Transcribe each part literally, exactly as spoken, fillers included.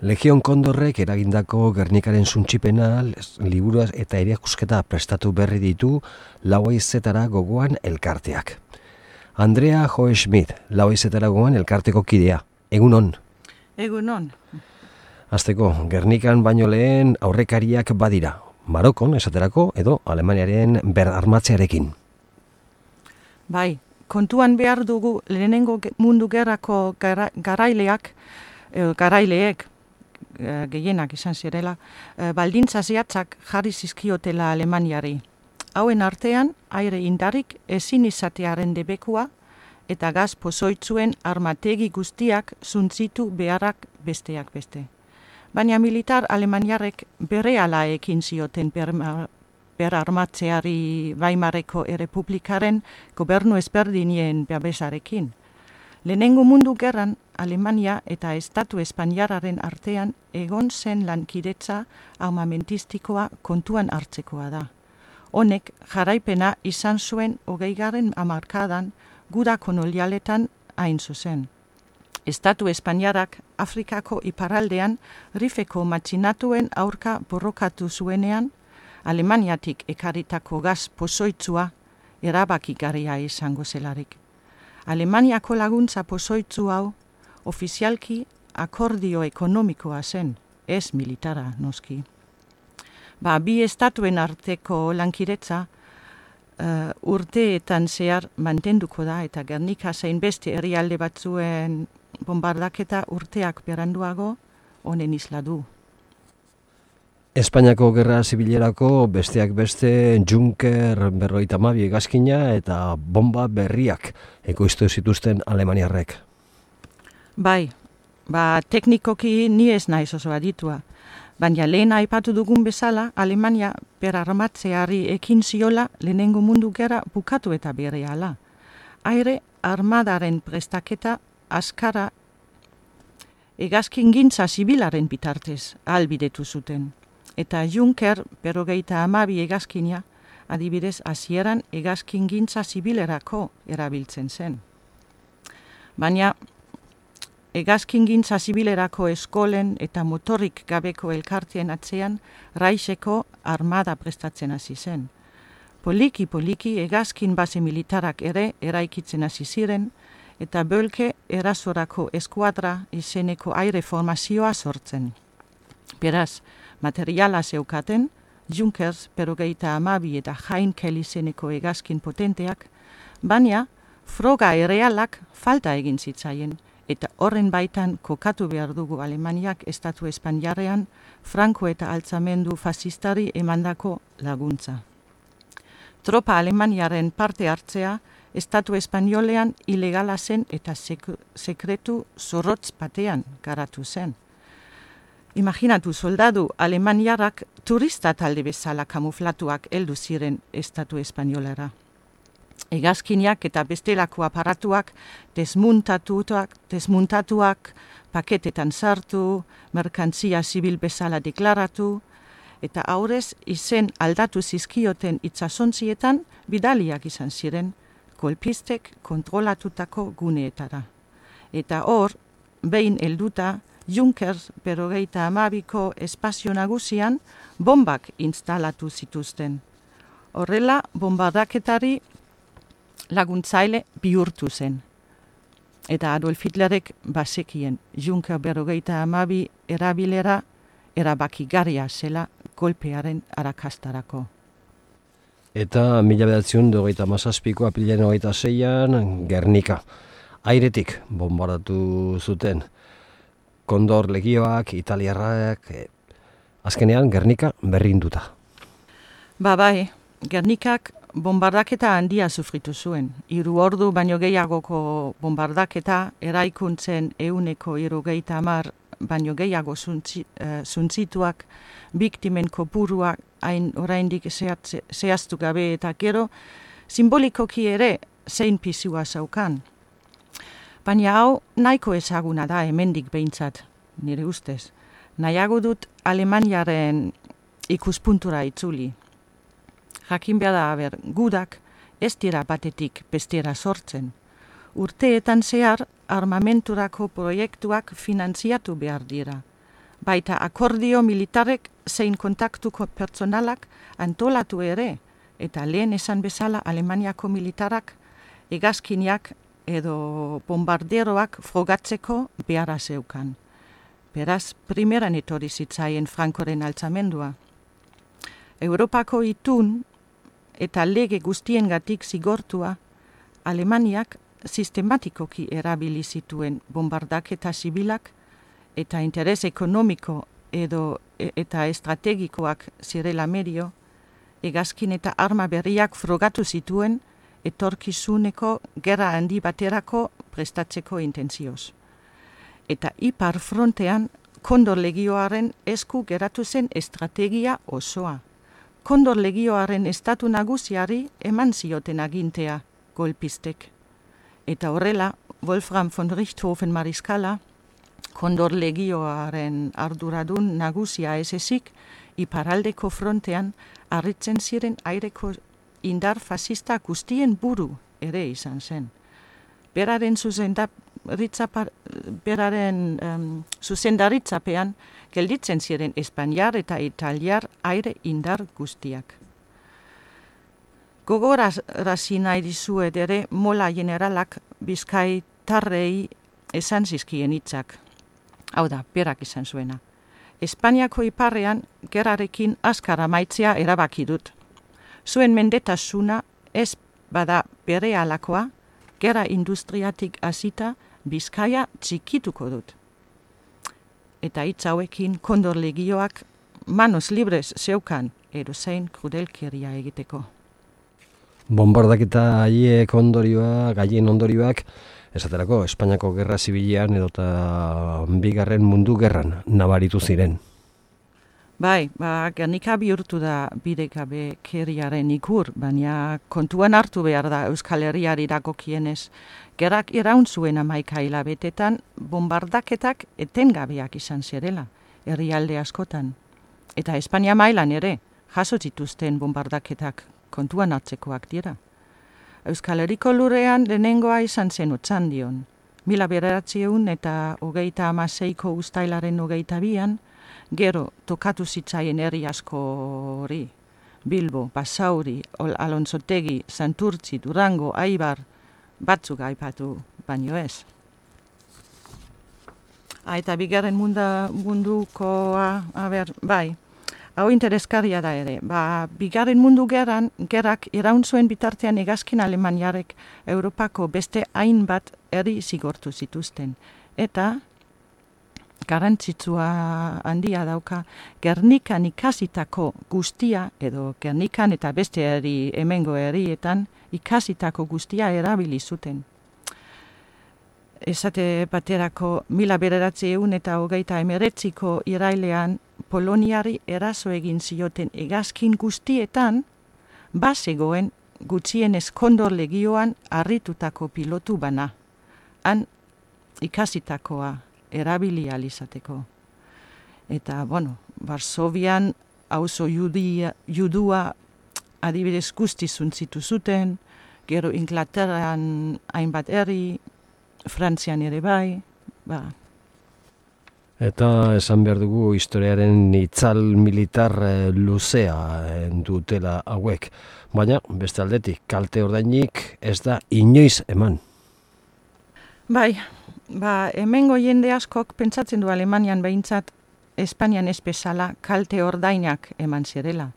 Legion Kondorrek eragindako Gernikaren suntsipena, liburuaz eta erakusketa prestatu berri ditu lau haizetara gogoan elkarteak. Andrea Joe Schmidt, lau haizetara gogoan elkarteko kidea. Egunon. Egunon. Hasteko, Gernikan baino lehen aurrekariak badira. Marokon, esaterako, edo Alemaniaren berarmatzearekin. Bai, kontuan behar dugu lehenengo mundu gerrako gara, garaileak, e, garaileek, e, gehienak izan zirela, e, baldintza zehatzak jarri zizkiotela Alemaniari. Hauen artean, aire indarik ezin izatearen debekua eta gaz pozoitzuen armategi guztiak zuntzitu beharrak besteak beste. Baina militar alemaniarrek berehala ekin zioten berarmatzeari Weimarreko Errepublikaren gobernu ezberdinien babesarekin. Lehenengo mundu gerran Alemania eta Estatu Espainiarraren artean egon zen lankidetza armamentistikoa kontuan hartzekoa da. Honek jaraipena izan zuen hogeigarren hamarkadan guda kolonialetan hain zuzen. Estatu Espainiarrak Afrikako iparraldean Rifeko matxinatuen aurka borrokatu zuenean, Alemaniatik ekarritako gaz pozoitzua erabakigarria izango zelarik. Alemaniako laguntza pozoitzu hau ofizialki akordio ekonomikoa zen, ez militara noski. Ba, bi estatuen arteko lankiretza uh, urteetan zehar mantenduko da eta Gernika zein beste herrialde batzuen bombardaketa urteak beranduago honen isla du. Espainiako Gerra Zibilerako besteak beste Junker berrogeita hamabi hegazkina eta bomba berriak ekoiztu zituzten alemaniarrek. Bai, ba teknikoki ni ez naiz oso aditua, baina lehen aipatu dugun bezala Alemania berarmatzeari ekin ziola lehenengo mundu gerra bukatu eta berehala. Aire armadaren prestaketa askara hegazkingintza zibilaren bitartez ahalbidetu zuten. Eta Junker berrogeita hamabi hegazkina adibidez hasieran hegazkingintza zibilerako erabiltzen zen. Baina hegazkingintza zibilerako eskolen eta motorik gabeko elkarteen atzean Reicheko armada prestatzen hasi zen. Poliki-poliki hegazkin base militarak ere eraikitzen hasi ziren, eta Bölke erasorako eskuadra izeneko aire formazioa sortzen. Beraz, materiala zeukaten, Junkers berrogeita hamabi eta Heinkel izeneko hegazkin potenteak, baina froga errealak falta egin zitzaien, eta horren baitan kokatu behar dugu Alemaniak Estatu Espainiarrean Franco eta altzamendu fasistari emandako laguntza. Tropa Alemaniaren parte hartzea Estatu Espainolean ilegala zen eta sek- sekretu zorrotz batean garatu zen. Imaginatu soldadu alemaniarrak turista talde bezala kamuflatuak heldu ziren Estatu Espainolara. Hegazkinak eta bestelako aparatuak desmuntatuak, desmuntatuak, paketetan sartu, merkantzia zibil bezala deklaratu, eta aurrez izen aldatu zizkioten itsasontzietan bidaliak izan ziren, kolpistek kontrolatutako guneetara. Eta hor, behin helduta, Junkers berrogeita hamabiko espazio nagusian bombak instalatu zituzten. Horrela, bombardaketari laguntzaile bihurtu zen. Eta Adolf Hitlerek bazekien Junker berrogeita hamabi erabilera erabakigarria zela golpearen arakastarako. Eta mila bederatziehun eta hogeita hamazazpiko apirilaren hogeita seian Gernika. Airetik bombardatu zuten. Kondor legioak, italiarrak, eh, azkenean Gernika berrinduta. Ba bai, Gernikak bombardaketa handia sufritu zuen. Hiru ordu baino gehiagoko bombardaketa eraikuntzen ehuneko hirurogeita hamar baino gehiago zuntzi, uh, zuntzituak, biktimen kopuruak hain oraindik zehatze- zehaztu gabe eta gero simbolikoki ere zein pisua zaukan. Baina hau nahiko ezaguna da hemendik behintzat, nire ustez. Nahiago dut Alemaniaren ikuspuntura itzuli. Jakin behar da, ber, gudak ez dira batetik bestera sortzen. Urteetan zehar armamenturako proiektuak finantziatu behar dira. baita akordio militarek zein kontaktuko pertsonalak antolatu ere, eta lehen esan bezala Alemaniako militarak hegazkinak edo bombarderoak frogatzeko beharra zeukan. Beraz, primeran etorri zitzaien Frankoren altzamendua. Europako itun eta lege guztiengatik zigortua, Alemaniak sistematikoki erabili zituen bombardaketa zibilak eta interes ekonomiko edo e, eta estrategikoak zirela medio, hegazkin eta arma berriak frogatu zituen etorkizuneko gerra handi baterako prestatzeko intentzioz. Eta ipar frontean Kondor legioaren esku geratu zen estrategia osoa. Kondor legioaren estatu nagusiari eman zioten agintea golpistek. Eta horrela, Wolfram von Richthofen mariskala, Kondor legioaren arduradun nagusia ez ezik, iparaldeko frontean harritzen ziren aireko indar fascista guztien buru ere izan zen. Beraren zuzendap, Ritzapar, beraren um, zuzendaritzapean gelditzen ziren Espainiar eta Italiar aire indar guztiak. Gogorazi nahi dizuet ere Mola generalak Bizkaitarrei esan zizkien hitzak. Hau da, berak izan zuena. Espainiako iparrean gerrarekin azkar amaitzea erabaki dut. Zuen mendetasuna ez bada bere alakoa, gerra industriatik hasita Bizkaia txikituko dut. Eta hitz hauekin Kondor legioak manos libres zeukan edozein krudelkeria egiteko. Bombardaketa haiek ondorioa, gaien ondorioak, esaterako Espainiako Gerra Zibilean edota bigarren mundu gerran nabaritu ziren. Bai, ba, Gernika bihurtu da bidegabe keriaren ikur, baina kontuan hartu behar da Euskal Herriari dagokienez. Gerrak iraun zuen hamaika hilabetetan bombardaketak etengabeak izan zirela, herrialde askotan. Eta Espainia mailan ere, jaso zituzten bombardaketak kontuan hartzekoak dira. Euskal Herriko lurrean lehenengoa izan zen Otxandion. Mila bederatziehun eta hogeita hamaseiko uztailaren hogeita bian, gero tokatu zitzaien herri asko hori. Bilbo, Basauri, Alonzotegi, Santurtzi, Durango, Aibar, batzuk aipatu baino ez. Ha, eta bigarren munda, mundukoa, a ber, bai, hau interesgarria da ere. Ba, bigarren mundu gerran, gerrak iraun zuen bitartean hegazkin Alemaniarek Europako beste hainbat herri zigortu zituzten. Eta garrantzitsua handia dauka, Gernikan ikasitako guztia, edo Gernikan eta beste herri hemengo herrietan, ikasitako guztia erabili zuten. Esate baterako mila bederatziehun eta hogeita hemeretziko irailean Poloniari eraso egin zioten hegazkin guztietan, bazegoen gutxienez Kondor legioan harritutako pilotu bana. Han ikasitakoa erabili alizateko. Eta, bueno, Varsovian auzo judia, judua adibidez guzti zuntzitu zuten, gero Inglaterran hainbat herri, Frantzian ere bai, ba. Eta esan behar dugu historiaren itzal militar luzea dutela hauek. Baina, beste aldetik, kalte ordainik ez da inoiz eman. Bai, ba, hemengo jende askok pentsatzen du Alemanian behintzat Espainian ez bezala kalte ordainak eman zirela.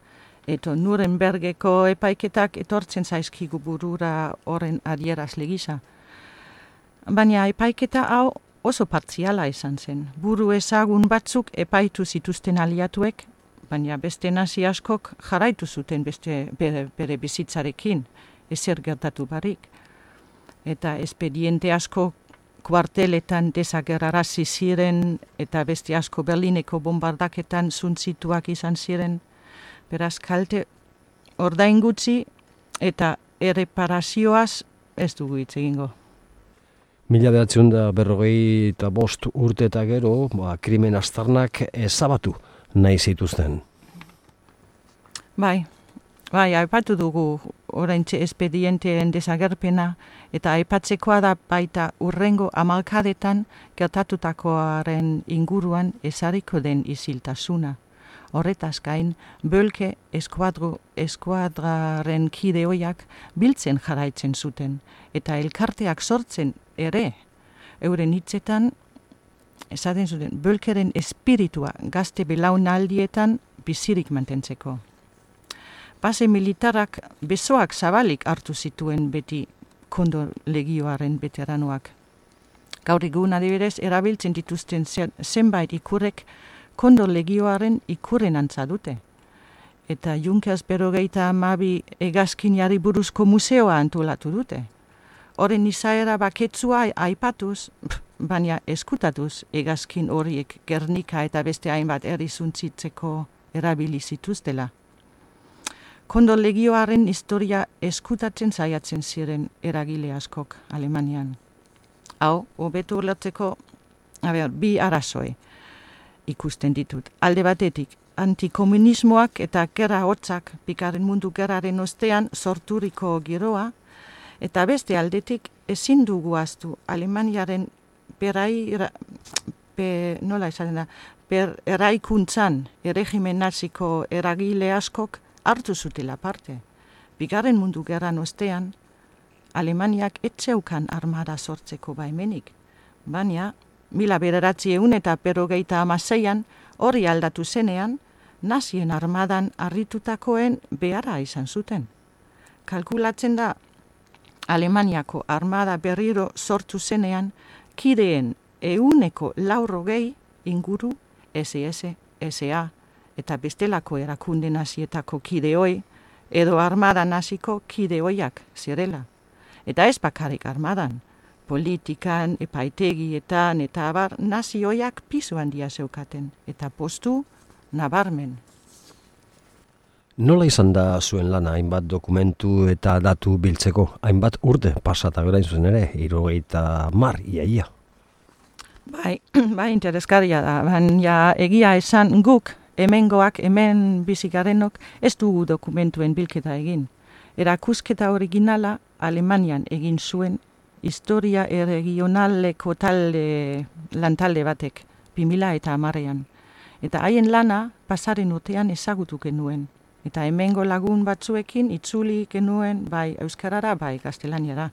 Eto Nurembergeko epaiketak etortzen zaizkigu burura horren adierazle gisa. Baina epaiketa hau oso partziala izan zen. Buru ezagun batzuk epaitu zituzten aliatuek, baina beste nazi askok jarraitu zuten beste bere, bere bizitzarekin, ezer gertatu barik. Eta espediente asko kuarteletan desagerrarazi ziren eta beste asko Berlineko bombardaketan zuntzituak izan ziren. Beraz kalte ordain gutxi eta erreparazioaz ez dugu hitz egingo. Mila bederatziehun eta berrogei eta bost urte eta gero, ba, krimen aztarnak ezabatu nahi zituzten. Bai, Bai, aipatu dugu oraintxe espedienteen desagerpena, eta aipatzekoa da baita urrengo hamarkadetan gertatutakoaren inguruan ezarriko den isiltasuna. Horretaz gain, Bölke eskuadro eskuadraren kide ohiak biltzen jarraitzen zuten, eta elkarteak sortzen ere, euren hitzetan, esaten zuten, Bölkeren espiritua gazte belaunaldietan bizirik mantentzeko. Base militarak besoak zabalik hartu zituen beti Kondor legioaren veteranoak. Gaur egun adibidez erabiltzen dituzten zenbait ikurrek Kondor legioaren ikurren antza dute. Eta Junkers berrogeita hamabi hegazkinari buruzko museoa antolatu dute. Horren izaera baketsua aipatuz, baina eskutatuz hegazkin horiek Gernika eta beste hainbat herri suntsitzeko erabili zituztela. Kondor legioaren historia eskutatzen saiatzen ziren eragile askok Alemanian. Hau, hobeto ulertzeko, a ber, bi arazoe ikusten ditut. Alde batetik, antikomunismoak eta gerra hotzak Bigarren Mundu Gerraren ostean sorturiko giroa, eta beste aldetik ezin dugu ahaztu Alemaniaren berai, be, nola esaten da, per eraikuntzan erregimen naziko eragile askok hartu zutela parte. Bigarren Mundu Gerran ostean, Alemaniak etzeukan armada sortzeko baimenik, baina mila bederatziehun eta berrogeita hamaseian hori aldatu zenean, nazien armadan harritutakoen beharra izan zuten. Kalkulatzen da, Alemaniako armada berriro sortu zenean, kideen ehuneko laurogei inguru S S, S A eta bestelako erakunde nazietako kideoi edo armada naziko kideoiak zirela. Eta ez bakarrik armadan, politikan, epaitegietan eta abar nazioiak pisu handia zeukaten eta postu nabarmen. Nola izan da zuen lana hainbat dokumentu eta datu biltzeko, hainbat urte pasata berain zuen ere, hirurogeita hamar iaia? Bai, bai interesgarria da, baina egia esan guk, hemengoak, hemen bizigarenok, ez dugu dokumentuen bilketa egin. Erakusketa originala Alemanian egin zuen historia erregionaleko talde, lantalde batek, bi mila eta hamarean. Eta haien lana pasaren urtean ezagutu genuen. Eta hemengo lagun batzuekin itzuli genuen bai euskarara, bai gaztelaniara.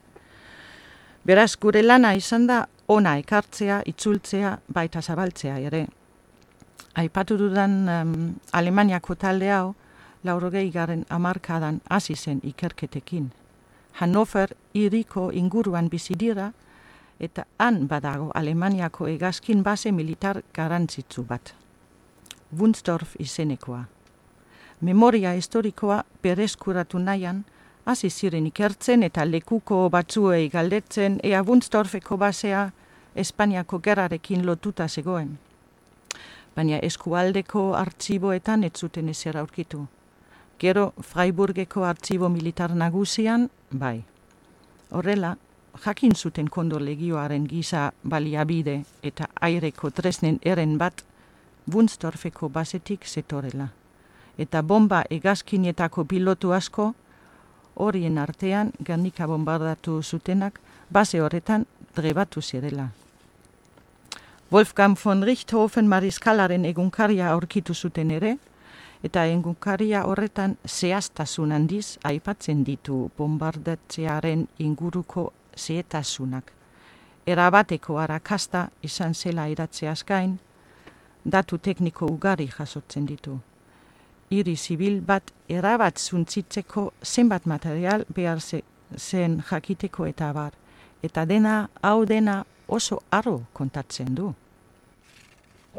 Beraz, gure lana izan da ona ekartzea, itzultzea, baita zabaltzea ere. Aipatu dudan um, Alemaniako talde hau, laurogei garren hamarkadan hasi zen ikerketekin. Hannover hiriko inguruan bizi dira, eta han badago Alemaniako hegazkin base militar garrantzitsu bat. Wunsdorf izenekoa. Memoria historikoa berreskuratu nahian, hasi ziren ikertzen eta lekuko batzuei galdetzen ea Wunsdorfeko basea Espainiako gerrarekin lotuta zegoen. Baina eskualdeko artxiboetan ez zuten ezer aurkitu. Gero Freiburgeko artxibo militar nagusian, bai. Horrela, jakin zuten Kondor legioaren giza baliabide eta aireko tresnen eren bat Wunsdorfeko basetik zetorela. Eta bomba hegazkinetako pilotu asko, horien artean Gernika bombardatu zutenak, base horretan trebatu zirela. Wolfgang von Richthofen mariskalaren egunkaria aurkitu zuten ere, eta egunkaria horretan zehaztasun handiz aipatzen ditu bombardatzearen inguruko zehetasunak. Erabateko arakasta izan zela iratzeaz gain, datu tekniko ugari jasotzen ditu. Hiri zibil bat erabat zuntzitzeko zenbat material behar zen jakiteko eta abar. Eta dena, hau dena oso harro kontatzen du.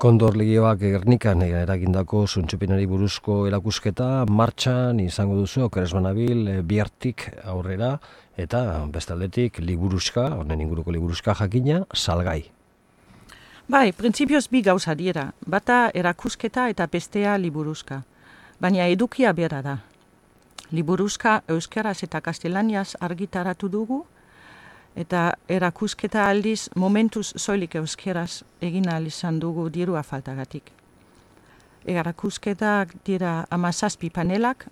Kondor legioak Gernikan eragindako zuntzupenari buruzko erakusketa martxan izango duzu, okeres banabil, bihartik aurrera, eta bestaldetik liburuska, honen inguruko liburuska jakina, salgai. Bai, printzipioz bi gauza dira, bata erakusketa eta bestea liburuska. Baina edukia bera da. Liburuska euskaraz eta kastelaniaz argitaratu dugu, eta erakusketa aldiz momentuz soilik euskeraz egin ahal izan dugu dirua faltagatik. Erakusketak dira hamazazpi panelak,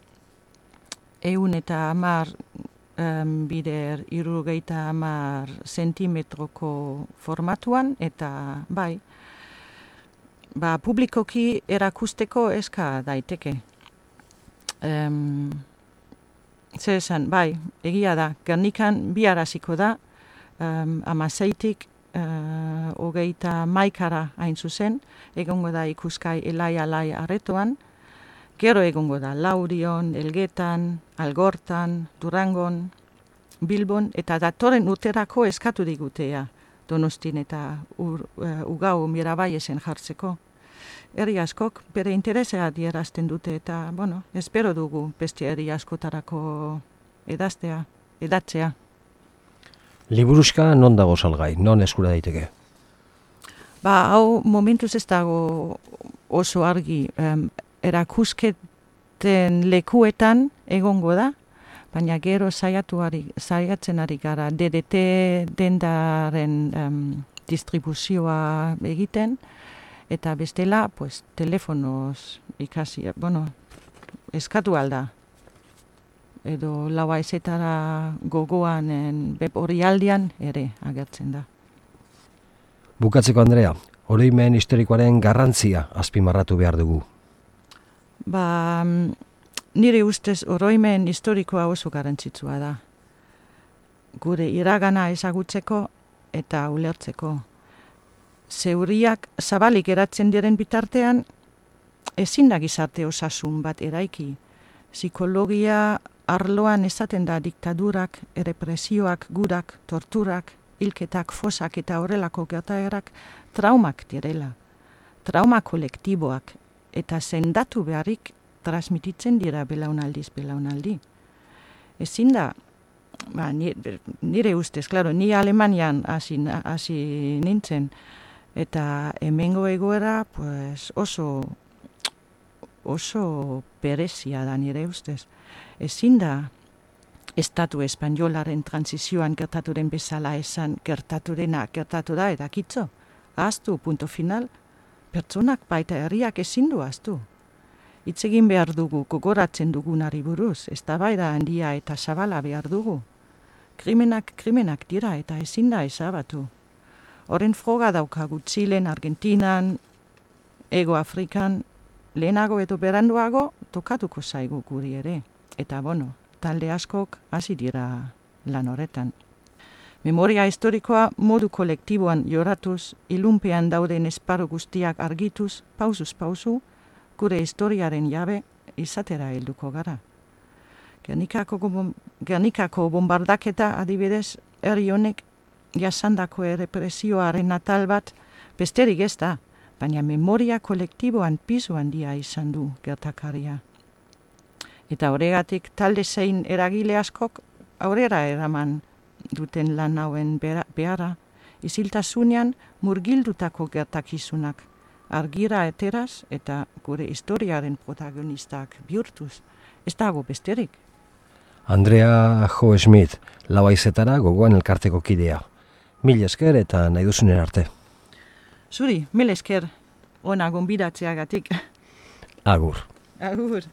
ehun eta hamar um, bider hirurogeita hamar zentimetroko formatuan, eta bai, ba, publikoki erakusteko eska daiteke. Um, Zer esan, bai, egia da, Gernikan bi araziko da, um, amaseitik uh, hogeita maikara hain zuzen, egongo da ikuskai elai-alai aretoan, gero egongo da Laurion, Elgetan, Algortan, Durangon, Bilbon, eta datoren urterako eskatu digutea Donostin eta ur, uh, Ugau Mirabaiesen jartzeko. Herri askok bere interesea adierazten dute eta, bueno, espero dugu beste herri askotarako edaztea, edatzea. Liburuxka non dago salgai, non eskura daiteke? Ba, hau momentuz ez dago oso argi, um, erakusketen lekuetan egongo da, baina gero saiatu ari, saiatzen ari gara D D T dendaren um, distribuzioa egiten, eta bestela, pues, telefonoz ikasi, bueno, eskatu alda. Edo laua ezetara gogoan web orrialdean ere agertzen da. Bukatzeko, Andrea, oroimen historikoaren garrantzia azpimarratu behar dugu. Ba, nire ustez oroimen historikoa oso garrantzitsua da. Gure iragana ezagutzeko eta ulertzeko. Zeuriak zabalik eratzen diren bitartean, ezin da gizarte osasun bat eraiki. Psikologia arloan esaten da diktadurak, errepresioak, gudak, torturak, hilketak, fosak eta horrelako gertaerak traumak direla. Trauma kolektiboak eta sendatu beharrik transmititzen dira belaunaldiz belaunaldi. Ezin da, ba, nire, nire ustez, klaro, ni Alemanian hasi, hasi nintzen, eta hemengo egoera pues, oso, oso berezia da nire ustez. Ezin da estatu espainolaren transizioan gertaturen bezala esan gertaturena gertatu da edakitzo. Ahaztu, punto final, pertsonak baita herriak ezin du ahaztu. Hitz egin behar dugu, gogoratzen dugunari buruz, eztabaida handia eta zabala behar dugu. Krimenak krimenak dira eta ezin da ezabatu. Horren froga daukagu Txilen, Argentinan, Ego Afrikan, lehenago edo beranduago tokatuko zaigu guri ere. Eta bono, talde askok hasi dira lan horretan. Memoria historikoa modu kolektiboan joratuz, ilunpean dauden esparru guztiak argituz, pausuz pausu, gure historiaren jabe izatera helduko gara. Gernikako, Gernikako bombardaketa adibidez, herri honek jasandako errepresioaren atal bat besterik ez da, baina memoria kolektiboan pisu handia izan du gertakaria. Eta horregatik talde zein eragile askok aurrera eraman duten lan hauen beharra, iziltasunean murgildutako gertakizunak, argira eteraz eta gure historiaren protagonistak bihurtuz. Ez dago besterik. Andrea Jo Schmidt, Lauhaizetara gogoan elkarteko kidea. Mil esker eta nahi duzunen arte. Zuri, mil esker, ona gonbidatzeagatik. Agur. Agur.